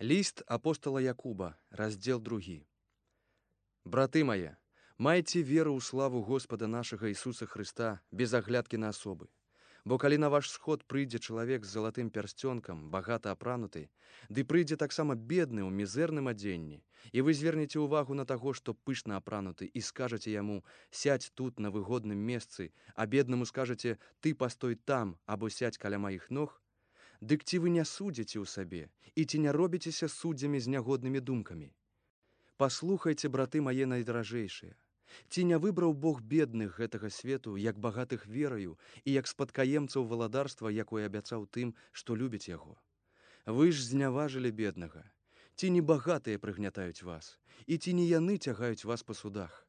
Ліст апостала Якуба, раздзел 2. Браты мае, майце веру ў славу Господа нашага Ісуса Хрыста без аглядкі на асобы. Бо калі на ваш сход прыйдзе чалавек з залатым пярсцёнкам, багата апрануты, ды прыйдзе таксама бедны ў мізэрным адзенні, і вы звернеце ўвагу на таго, што пышна апрануты, і скажаце яму: «Сядзь тут на выгодным месцы», а беднаму скажаце: «Ты пастой там, або сядзь каля маіх ног», дык ці вы не судзіце ў сабе, і ці не робіцеся суддзямі з нягоднымі думкамі? Паслухайце, браты мае найдаражэйшыя, ці не выбраў Бог бедных гэтага свету, як багатых вераю, і як спадкаемцаў валадарства, якое абяцаў тым, што любяць яго? Вы ж зняважылі беднага. Ці не багатыя прыгнятаюць вас, і ці не яны цягаюць вас па судах?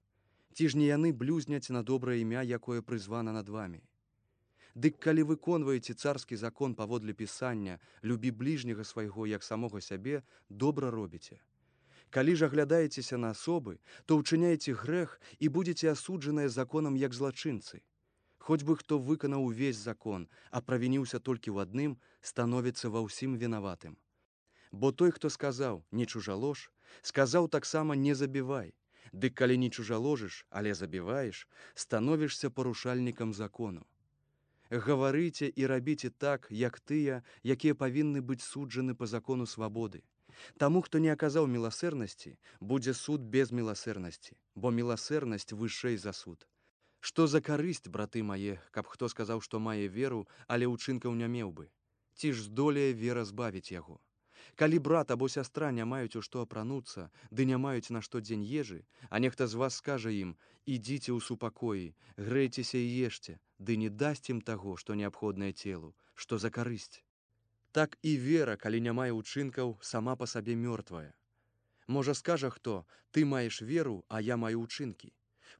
Ці ж не яны блюзняць на добрае імя, якое прызвана над вамі? Дык калі выконваеце царскі закон паводле пісання «Любі бліжняга свайго, як самога сябе», добра робіце. Калі ж аглядаецеся на асобы, то ўчыняеце грэх і будзеце асуджаныя законам як злачынцы. Хоць бы хто выканаў увесь закон, а правініўся толькі ў адным, становіцца ва ўсім вінаватым. Бо той, хто сказаў «не чужалож», сказаў таксама «не забівай». Дык калі не чужаложыш, але забіваеш, становішся парушальнікам закону. Гаварыце і рабіце так, як тыя, якія павінны быць суджаны па закону свабоды. Таму, хто не аказаў міласэрнасці, будзе суд без міласэрнасці, бо міласэрнасць вышэй за суд. Што за карысць, браты мае, каб хто сказаў, што мае веру, але ўчынкаў не меў бы? Ці ж здолее вера збавіць яго? Калі брат або сястра не маюць у што апрануцца, ды не маюць на штодзень ежы, а нехта з вас скажа ім: «Ідзіце ў супакоі, грэйцеся і ешце», ды не дасць ім таго, што неабходнае целу, што за карысць? Так і вера, калі не мае ўчынкаў, сама па сабе мёртвая. Можа, скажа хто: «Ты маеш веру, а я маю ўчынкі.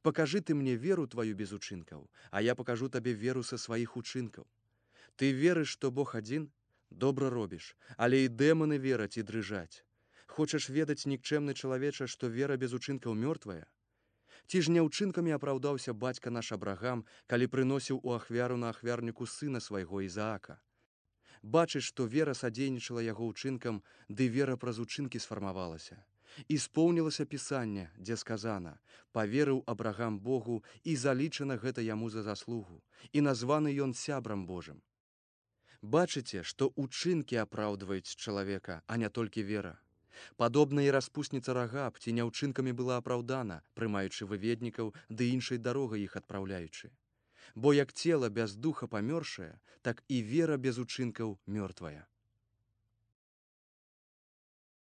Пакажы ты мне веру тваю без учынкаў, а я пакажу табе веру са сваіх учынкаў». Ты верыш, што Бог адзін? Добра робіш, але і дэманы вераць і дрыжаць. Хочаш ведаць, нікчэмны чалавеча, што вера без учынкаў мёртвая? Ці ж не ўчынкамі апраўдаўся бацька наш Абрагам, калі прыносіў у ахвяру на ахвярніку сына свайго Ізаака? Бачыш, што вера садзейнічала яго ўчынкам, ды вера праз учынкі сфармавалася. І споўнілася пісанне, дзе сказана: «Паверыў Абрагам Богу, і залічана гэта яму за заслугу, і названы ён сябрам Божым». Бачыце, што ўчынкі апраўдваюць чалавека, а не толькі вера. Падобна і распусніца Рагаб ці не ўчынкамі была апраўдана, прымаючы выведнікаў ды іншай дарогай іх адпраўляючы. Бо як цела без духа памёршае, так і вера без учынкаў мёртвая.